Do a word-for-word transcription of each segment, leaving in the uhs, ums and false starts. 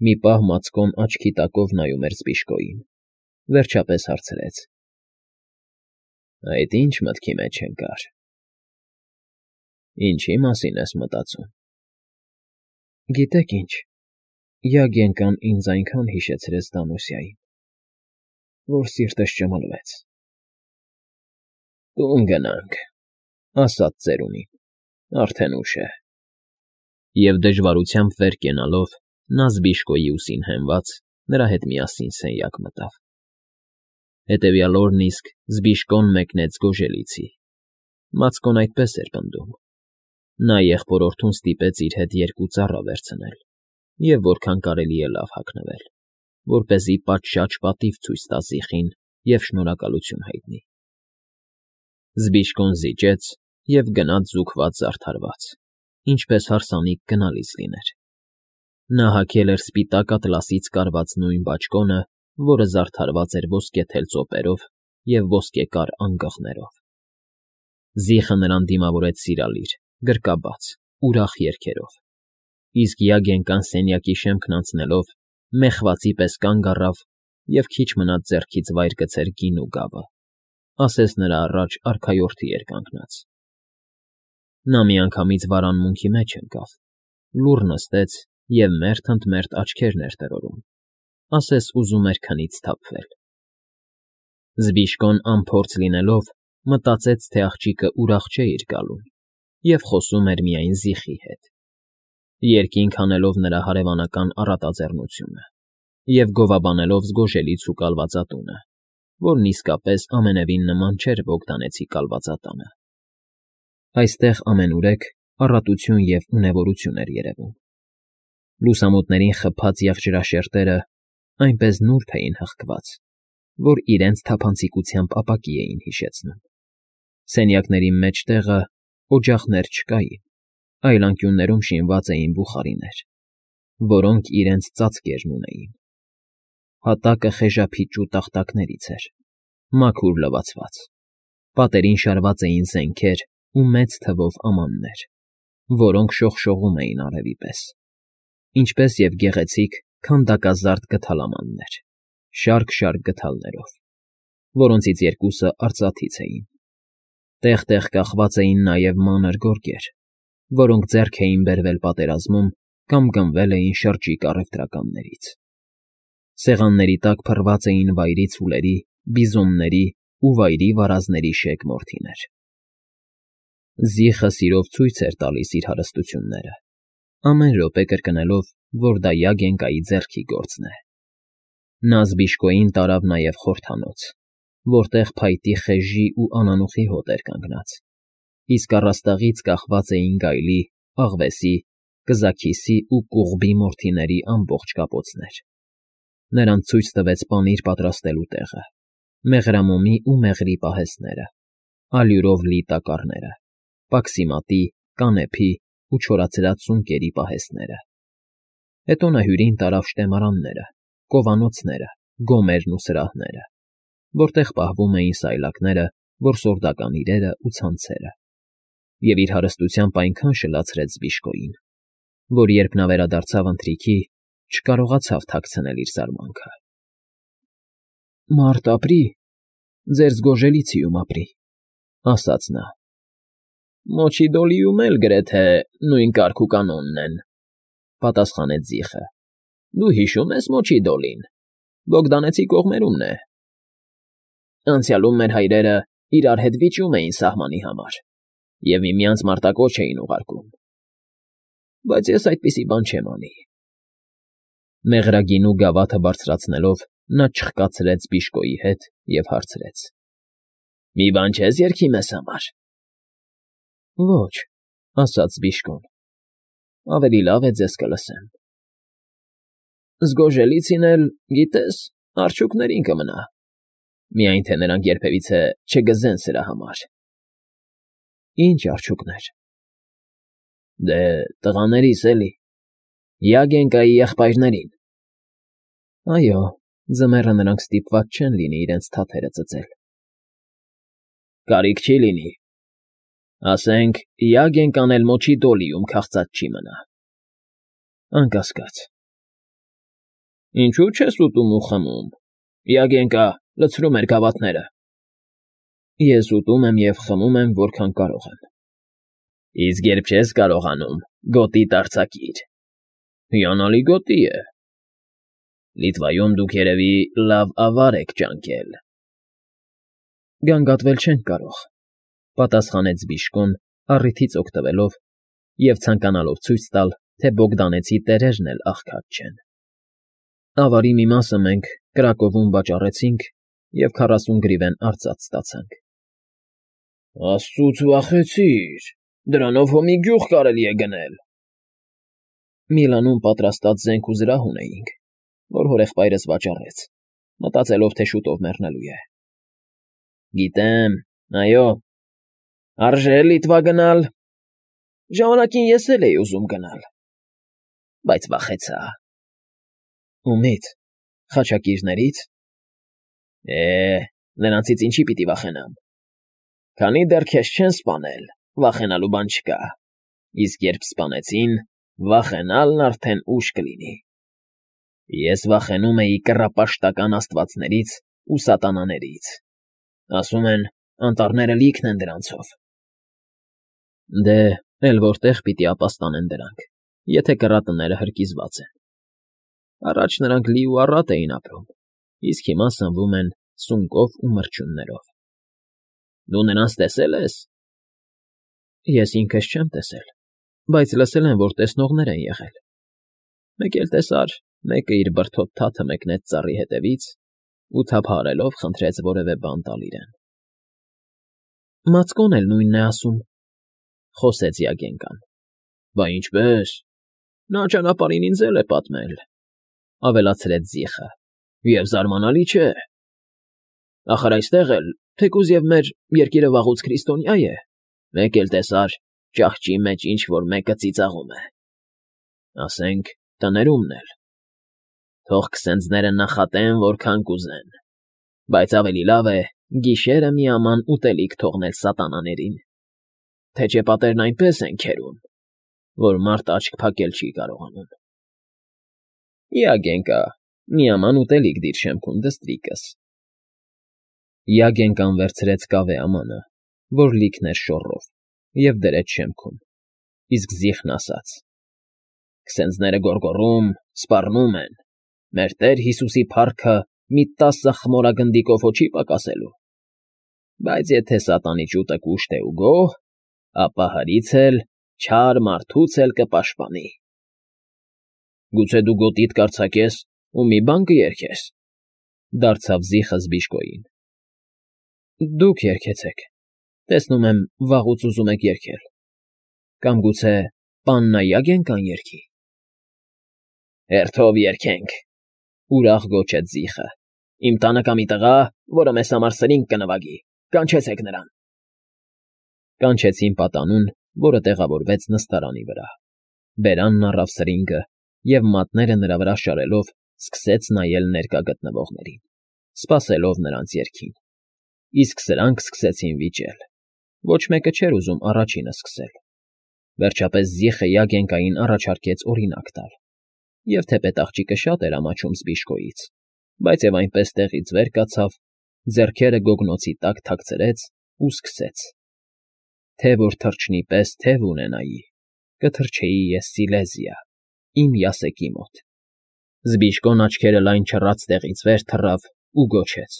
Մի պահ Մացկոն աչքի տակով նայում էր սպիշկոյին, վերջապես հարցրեց. ֊ Այդ ի՞նչ մտքի մեջ ընկար։ ֊ Ինչի՞ մասին ես մտածում։ ֊ Գիտեք ինչ, Յագենկան ինձ այնքան հիշեցրեց Դանուսիային, որ սիրտս ճմլվեց։ ֊ Տուն գնանք,֊ ասաց ծերունին,֊ արդեն ուշ է։ Եվ դժվարությամբ վեր կենալով նա սպիշկոյի ուսին հենված, նրա հետ միասին սենյակ մտավ։ Հետևյալ օրն իսկ Սպիշկոն մեկնեց Գոժելիցի. Մացկոն այդպես էր պնդում. նա եղբորորդուն ստիպեց իր հետ երկու ծառա վերցնել և որքան կարելի է լավ հագնվել, որպեսզի պատշաճ պատիվ ցույց տա Զիխին և շնորհակալություն հայտնի։ Սպիշկոն զիջեց և գնաց զուգված զարդարված, ինչպես հարսանիք գնալիս լիներ։ Նա հագել էր սպիտակ ատլասից կարված նույն բաճկոնը, որը զարդարված էր ոսկեթել ծոպերով և ոսկեկար անգղներով։ Զիխը նրան դիմավորեց սիրալիր, գրկաբաց, ուրախ երգերով, իսկ Յագենկան սենյակի շեմքն անցնելով մեղվածի պես կանգ առավ և քիչ մնաց ձեռքից վայր գցեր գինու գավը, ասես նրա առաջ արքայորդի էր կանգնած։ Նա միանգամից վարանմունքի մեջ ընկավ, լուռ նստեց և մերթ ընդ մերթ աչքերն էր տրորում, ասես ուզում էր քնից թափվել։ Սպիշկոն անփորձ լինելով, մտածեց, թե աղջիկը ուրախ չէ իր գալուն և խոսում էր միայն Զիխի հետ, երկինք հանելով նրա հարևանական առատաձեռնությունը և գովաբանելով զգոժելից ու կալվածատունը, որն իսկապես ամենևին նման չէր Բոգդանեցի կալվածատանը։ Այստեղ ամենուրեք առատություն և ունևորություն էր երևում։ Լուսամուտներին խփած եղջերաշերտերը այնպես նուրբ էին հղկված, որ իրենց թափանցիկությամբ ապակի էին հիշեցնում։ Սենյակների մեջտեղը օջախներ չկային, այլ անկյուններում շինված էին բուխարիներ, որոնք իրենց ծածկերն ունեին։ Հատակը խեժափիճու տախտակներից էր, մաքուր լվացված, պատերին շարված էին զենքեր ու մեծ թվով ամաններ, որոնք շողշողում էին արևի պես, ինչպես և գեղեցիկ քանդակազարդ գդալամաններ, շարք֊շարք գդալներով, որոնցից երկուսը արծաթից էին։ Տեղ֊տեղ կախված էին նաև մանր գորգեր, որոնք ձեռք էին բերվել պատերազմում կամ գնվել էին շրջիկ առևտրականներից։ Սեղանների տակ փռված էին վայրի ցուլերի, բիզոնների ու վայրի վարազների շեկ մորթիներ։ Զիխը սիրով ցույց էր տալիս իր հարստությունները, ամեն րոպե կրկնելով, որ դա Յագենկայի ձեռքի գործն է։ Նա Սպիշկոյին տարավ նաև խորհրդանոց, որտեղ փայտի խեժի ու անանուխի հոտ էր կանգնած, իսկ առաստաղից կախված էին գայլի, աղվեսի, կզաքիսի ու կուղբի մորթիների ամբողջ կապոցներ։ Նրան ցույց տվեց պանիր պատրաստելու տեղը, մեղրամոմի ու մեղրի պահեստները, ալյուրով լի տակառները, պաքսիմատի, կանեփի ու չորացրած սունկերի պահեստները։ Հետո նա հյուրին տարավ շտեմարանները, կովանոցները, գոմերն ու սրահները, որտեղ պահվում էին սայլակները, որսորդական իրերը ու ցանցերը, և իր հարստությամբ այնքան շլացրեց Սպիշկոյին, որ երբ նա վերադարձավ ընթրիքի, չկարողացավ թաքցնել իր զարմանքը։ ֊ Մարդ ապրի, ձեր Զգոժելիցիում ապրի,֊ ասաց նա։ ֊ Մոչի Դոլիում էլ գրեթե նույն կարգ ու կանոնն են,֊ պատասխանեց Զիխը։ ֊ Դու հիշո՞ւմ ես Մոչի Դոլին, Բոգդանեցի կողմերումն է։ Անցյալում մեր հայրերը իրար հետ վիճում էին սահմանի համար և միմյանց մարտակոչ էին ուղարկում, բայց ես այդպիսի բան չեմ անի։ Մեղրագինու գավաթը բարձրացնելով՝ նա չխկացրեց Սպիշկոյի հետ և հարցրեց. ֊ Մի բան չես երգի մեզ համար։ ֊ Ոչ,֊ ասաց Սպիշկոն,֊ ավելի լավ է ձեզ կլսեմ։ ֊ Զգոժելիցին էլ, գիտես, արջուկներին կմնա, միայն թե նրանք երբևիցե չգզեն սրա համար։ ֊ Ի՞նչ արջուկներ։ ֊ Դե, տղաներիս էլի, Յագենկայի եղբայրներին։ ֊ Այո, ձմեռը նրանք ստիպված չեն լինի իրենց թաթերը ծծել։ ֊ Կարիք չի լինի։ Ասենք, Յագենկան էլ Մոչի Դոլիում քաղցած չի մնա։ ֊ Անկասկած։ Ինչու չես ուտում ու խմում։ Յագենկա, լցրու մեր գավաթները։ Ես ուտում եմ և խմում եմ, որքան կարող եմ։ Իսկ երբ չես կարողանում, գոտիդ արձակիր։ Հիանալի գոտի է։ Լիտվայում դուք երևի լավ ավար եք ճանկել։ Գանգատվել չենք կարող, պատասխանեց Բիժկոն, առիթից օգտվելով և ցանկանալով ցույց տալ, թե Բոգդանեցի տերերն էլ աղքատ չեն։ Ավարի մի մասը մենք Կրակովում վաճառեցինք և քառասուն գրիվեն արծաթ ստացանք։ Աստծուց վախեցիր, դրանով հո մի գյուղ կարելի է գնել։ Միլանում պատրաստած զենք ու զրահ ունեինք, որ հորեղբայրս վաճառեց, մտածելով, թե շուտով մեռնելու է։ Գիտեմ, այո, արժե Լիտվա գնալ։ Ժամանակին ես էլ էի ուզում գնալ, բայց վախեցա։ Ումի՞ց, խաչակիրների՞ց։ Է, նրանցից ինչի պիտի վախենամ։ Քանի դեռ քեզ չեն սպանել, վախենալու բան չկա, իսկ երբ սպանեցին, վախենալն արդեն ուշ կլինի։ Ես վախենում էի կռապաշտական աստվածներից ու սատանաներից։ Ասում են, անտառները լիքն են դրանցով։ Դե, էլ որտեղ պիտի ապաստանեն դրանք, եթե կռատները հրկիզված են։ Առաջ նրանք լի ու առատ էին ապրում, իսկ հիմա սնվում են սունկով ու մրջյուններով։ Դու նրանց տեսե՞լ ես։ Ես ինքս չեմ տեսել, բայց լսել եմ, որ տեսնողներ են եղել։ Մեկ էլ տեսար, մեկը իր բրդոտ թաթը մեկնեց ծառի հետևից ու թափահարելով խնդրեց որևէ բան տալ իրեն։ Մացկոն էլ նույնն է ասում, խոսեց Յագենկան։ Բա ինչպես։ Նա ճանապարհին ինձ էլ է պատմել, ավելացրեց Զիխը, և զարմանալի չէ։ Ախր այստեղ էլ, թեկուզ և մեր երկիրը վաղուց քրիստոնյա է, մեկ էլ տեսար, ճահճի մեջ ինչ֊որ մեկը ծիծաղում է։ Ասենք, տներումն էլ։ Թող քսենձները նախատեն, որքան կուզեն, բայց ավելի լավ է գիշերը միաման ուտելիք թողնել սատանաներին, թե չէ պատերն այնպես են քերում, որ մարդ աչք փակել չի կարողանում։ Յագենկա, միաման ուտելիք դիր շեմքուն դստրիկս։ Յագենկան վերցրեց կավե ամանը, որ լիքն էր շոռով, և դրեց շեմքում, իսկ Զիխն ասաց. Քսենձները գոռգոռում, սպառնում են, մեր Տեր Հիսուսի փառքը մի տասը խմորագնդիկով հո չի պակասելու։ Բայց եթե սատանի ճուտը կուշտ է ու գոհ, ապա հրից էլ, չար մարդուց էլ կպաշտպանի։ Գուցե դու գոտիդ կարձակես ու մի բան կերգես, դարձավ Զիխը Բիժկոյին։ Դուք երգեցեք, տեսնում եմ, վաղուց ուզում եք երգել, կամ գուցե պաննա Յագենկան երգի։ Հերթով երգենք, ուրախ գոչեց Զիխը։ Իմ տանը կա մի տղա, որը մեզ համար սրինգ կնվագի, կանչեցեք նրան։ Կանչեցին պատանուն, որը տեղավորվեց նստարանի վրա։ Բերանն առավ սրինգը և մատները նրա վրա շարելով սկսեց նայել ներկա գտնվողներին, սպասելով նրանց երգին։ Իսկ սրանք սկսեցին վիճել։ Ոչ մեկը չէր ուզում առաջինը սկսել։ Վերջապես Զիխը Յագենկային առաջարկեց օրինակ տալ, և թեպետ աղջիկը շատ էր ամաչում Զբիժկոյից, բայց և այնպես տեղից վեր կացավ, ձեռքերը գոգնոցի տակ թաքցրեց ու սկսեց. Թե որ թռչնի պես թև ունենայի, կթռչեի ես Սիլեզիա, իմ Յասեկի մոտ։ Զբիժկոն աչքերը լայն չռած տեղից վեր թռավ ու գոչեց.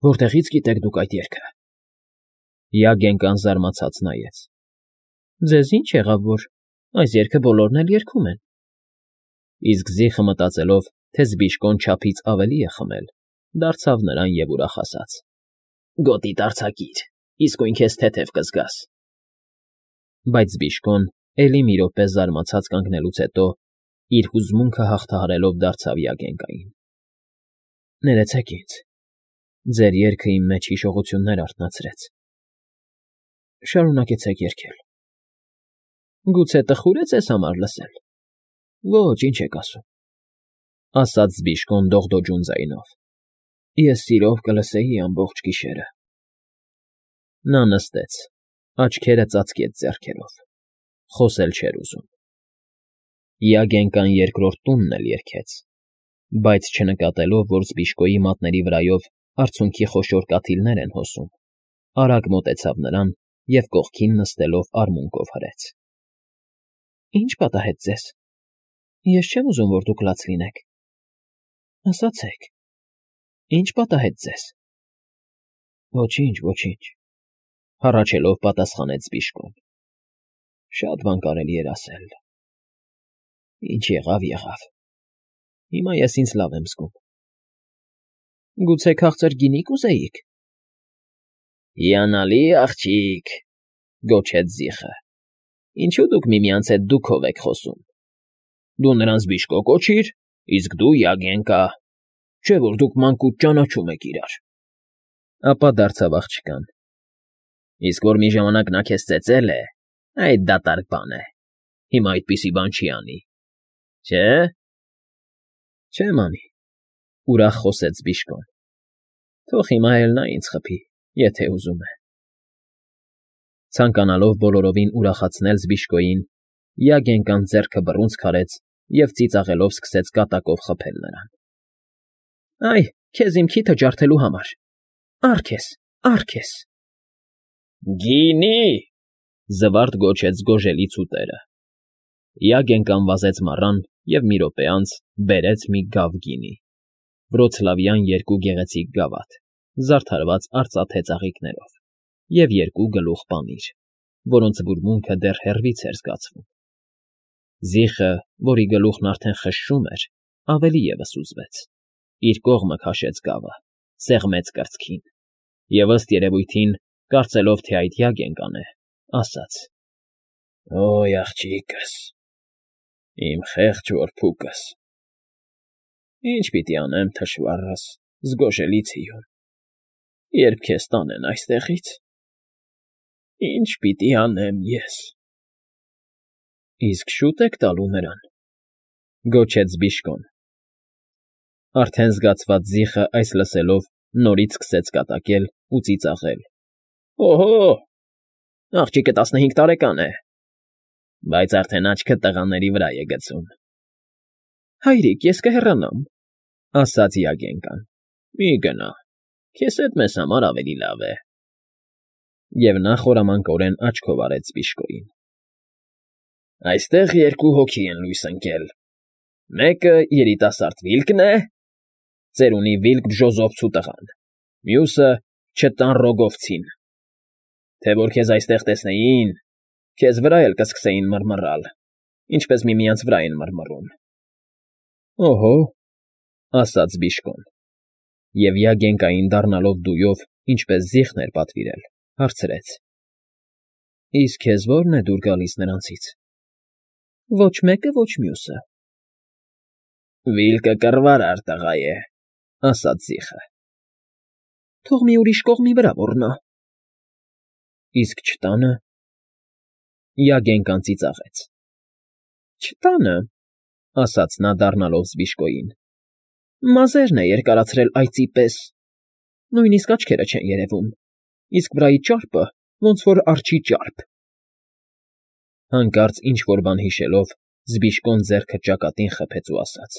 Որտեղի՞ց գիտեք դուք այդ երգը։ Յագենկան զարմացած նայեց։ Ձեզ ինչ եղավ, որ այս երգը բոլորն էլ երգում են։ Իսկ Զիխը մտածելով, թե Զբիժկոն չափից ավելի է խմել, դարձավ նրան և ուրախ ասաց. Գոտիդ արձակիր, իսկույն քեզ թեթև կզգաս։ Բայց Զբիժկոն, էլի մի րոպե զարմացած կանգնելուց հետո, իր հուզմունքը հաղթահարելով դարձավ Յագենկային. Ներեցեք ինձ, ձեր երգը իմ մեջ հիշողություններ արթնացրեց։ Շարունակեցեք երգել։ Գուցե տխո՞ւր է ձեզ համար լսել։ Ոչ, ինչ եք ասում, ասաց Զբիժկոն դողդոջուն ձայնով։ Ես սիրով կլսեի ամբողջ գիշերը։ Նա նստեց, աչքերը ծածկեց ձեռքերով, խոսել չէր ուզում։ Յագենկան երկրորդ տունն էլ երգեց, Բայց չնկատելով, որ զբիշկոյի մատների վրայով արցունքի խոշոր կաթիլներ են հոսում, արագ մոտեցավ նրան և կողքին նստելով արմունկով հրեց։ ֊ Ի՞նչ պատահեց ձեզ։ Ես չեմ ուզում, որ դուք լաց լինեք։ Ասացեք, ի՞նչ պատահեց ձեզ։ ֊ Ոչինչ, ոչինչ,֊ հառաչելով պատասխանեց զբիշկոն։ Շատ բան կարելի էր ասել… Ինչ եղավ՝ եղավ… Հիմա ես ինձ լավ եմ զգում։ ֊ Գուցե քաղցր գինի կուզեիք։ ֊ Հիանալի աղջիկ,֊ գոչեց Զիխը։֊ Ինչո՞ւ դուք միմյանց հետ դուքով եք խոսում։ Դու նրան Զբիշկո կոչիր, իսկ դու Յագենկա, չէ՞ որ դուք մանկուց ճանաչում եք իրար… Ապա դարձավ աղջկան. Իսկ որ մի ժամանակ նա քեզ ծեծել է, այդ դատարկ բան է, հիմա այդպիսի բան չի անի, չէ՞։ ֊ Չեմ անի,֊ ուրախ խոսեց Զբիշկոն։ Թող հիմա էլ նա ինձ խփի, եթե ուզում է… Ցանկանալով բոլորովին ուրախացնել Զբիշկոյին, Յագենկան ձեռքը բռունցք արեց և ծիծաղելով սկսեց կատակով խփել նրան։ ֊ Այ քեզ իմ քիթը ջարդելու համար… Առ քեզ, առ քեզ… Գինի!֊ զվարթ գոչեց գոժելի ցուտերը։ Յագենկան վազեց մառան և մի րոպե անց բերեց մի գավ գինի, վրոցլավյան երկու գեղեցիկ գավաթ, զարդարված արծաթե ծաղիկներով, և երկու գլուխ պանիր, որոնց բուրմունքը դեռ հեռվից էր զգացվում։ Զիխը, որի գլուխն արդեն խշշում էր, ավելի ևս ուզվեց, իր կողմը քաշեց գավը, սեղմեց կրծքին և, ըստ երևույթին, կարծելով, թե այդ Յագենկան է, ասաց. «Օ՜յ աղջիկս, իմ խեղճ որփուկս… Ի՞նչ պիտի անեմ, թշվառս, զգոժելի ցիուն, երբ քեզ տանեն այստեղից… Ի՞նչ պիտի անեմ ես… ֊ Իսկ շո՞ւտ եք տալու նրան,֊ գոչեց Զբիշկոն։ Արդեն զգացված Զիխը այս լսելով նորից սկսեց կատակել ու ծիծաղել. Օհո՜, աղջիկը տասնհինգ տարեկան է, բայց արդեն աչքը տղաների վրա է գցում… ֊ Հայրիկ, ես կհեռանամ,֊ ասաց Յագենկան։ ֊ Մի գնա, քեզ հետ մեզ համար ավելի լավ է… Եվ նա խորամանկորեն աչքով արեց Զբիշկոյին։ ֊ Այստեղ երկու հոգի են լույս ընկել. մեկը երիտասարդ Վիլկն է, ծերունի Վիլկ Բժոզովցու տղան, մյուսը Չտան Ռոգովցին… Թե որ քեզ այստեղ տեսնեին, քեզ վրա էլ կսկսեին մռմռալ, ինչպես միմյանց վրա են մռմռում… ֊ Օհո՜, ասաց Զբիշկոն և, Յագենկային դառնալով դույով, ինչպես Զիխն էր պատվիրել, հարցրեց. ֊ Իսկ քեզ ո՞րն է դուր գալիս նրանցից։ ֊ Ոչ մեկը, ոչ մյուսը… ֊ Վիլկը կռվարար տղա է,֊ ասաց Զիխը։ ֊ Թող մի ուրիշ կողմի վրա ոռնա… ֊ Իսկ Չտա՞նը… Յագենկան ծիծաղեց։ ֊ Չտանը,֊ ասաց նա, դառնալով Զբիշկոյին,֊ մազերն է երկարացրել այծի պես, նույնիսկ աչքերը չեն երևում, իսկ վրայի ճարպը ոնց որ արջի ճարպ… Հանկարծ ինչ֊որ բան հիշելով, Զբիշկոն ձեռքը ճակատին խփեց ու ասաց.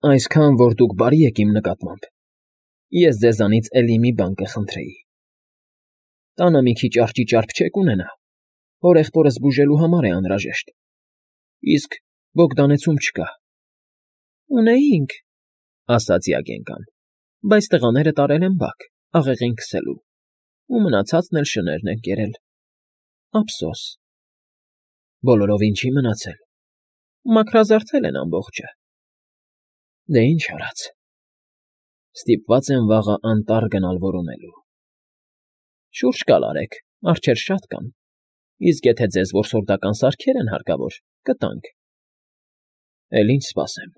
֊ Այսքան որ դուք բարի եք իմ նկատմամբ, ես ձեզանից էլի մի բան կխնդրեի. տանը մի քիչ արջի ճարպ չեք ունենա, հորեղբորս բուժելու համար է անհրաժեշտ, իսկ Բոգդանեցում չկա… ֊ Ունեինք,֊ ասաց Յագենկան,֊ բայց տղաները տարել են բակ, աղեղին քսելու, ու մնացածն էլ շներն են կերել… Ափսոս… ֊ Բոլորովին չի մնացել, մաքրազարդել են ամբողջը… Դե ինչ արած… Ստիպված եմ վաղը անտառ գնալ որոնելու… Շուրջ կալ արեք, արջեր շատ կան, իսկ եթե ձեզ որսորդական սարքեր են հարկավոր, կտանք… Էլ ինչ սպասեմ…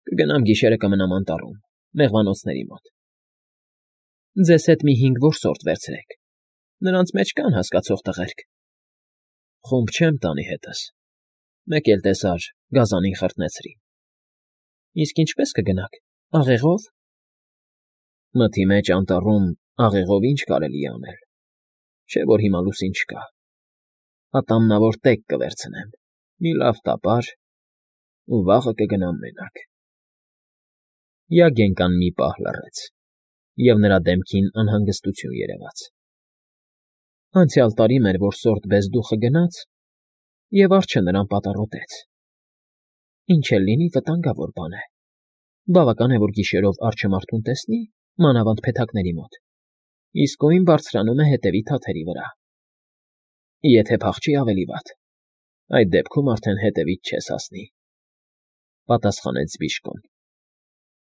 Կգնամ գիշերը կմնամ անտառում, մեղվանոցների մոտ… Ձեզ հետ մի հինգ որսորդ վերցրեք, նրանց մեջ կան հասկացող տղերք… Խումբ չեմ տանի հետս, մեկ էլ տեսար, գազանին խրտնեցրին… Իսկ ինչպե՞ս կգնաք, աղեղո՞վ… Մթի մեջ անտառում աղեղով ինչ կարելի է անել, չէ որ հիմա լուսին չկա… Ատամնավոր տեկ կվերցնեմ, մի լավ տապար ու վաղը կգնամ մենակ… Յագենկան մի պահ լռեց, և նրա դեմքին անհանգստություն երևաց։ ֊ Անցյալ տարի մեր որսորդ Բեզդուխը գնաց, և արջը նրան պատառոտեց. ինչ էլ լինի, վտանգավոր բան է, բավական է, որ գիշերով արջը մարդուն տեսնի, մանավանդ փեթակների մոտ, իսկույն բարձրանում է հետևի թաթերի վրա, եթե փախչի ավելի վատ, այդ դեպքում արդեն հետևից չես հասնի,֊ պատասխանեց Բիժկոն։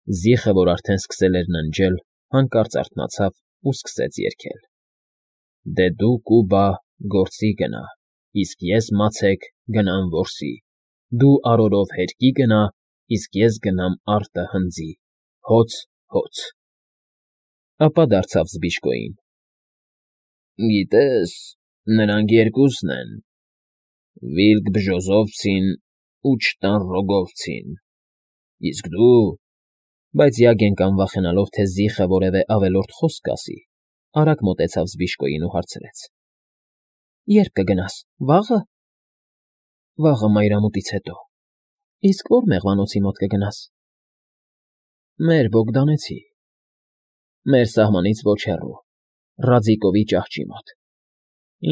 Զիխը, որ արդեն սկսել էր ննջել, հանկարծ արթնացավ ու սկսեց երգել. «Դե դու, Կուբա, գործի գնա, իսկ ես, Մացեք, գնամ որսի, դու արորով հերկի գնա, իսկ ես գնամ արտը հնձի, հոց, հոց…»։ Ապա դարձավ Զբիժկոյին. «Գիտես, նրանք երկուսն են՝ Վիլկ֊Բժոզովցին ու Չտան֊Ռոգովցին, իսկ դու…» Բայց Յագենկան, վախենալով, թե Զիխը որևէ ավելորդ խոսք ասի, արագ մոտեցավ Զբիժկոյին ու հարցրեց. «Ե՞րբ կգնաս, վաղը»։ ֊ Վաղը մայրամուտից հետո։ ֊ Իսկ ո՞ր մեղվանոցի մոտ կգնաս։ ֊ Մեր Բոգդանեցի, մեր սահմանից ոչ հեռու, Ռաձիկովի ճահճի մոտ,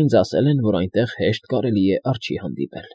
ինձ ասել են, որ այնտեղ հեշտ կարելի է արջի հանդիպել։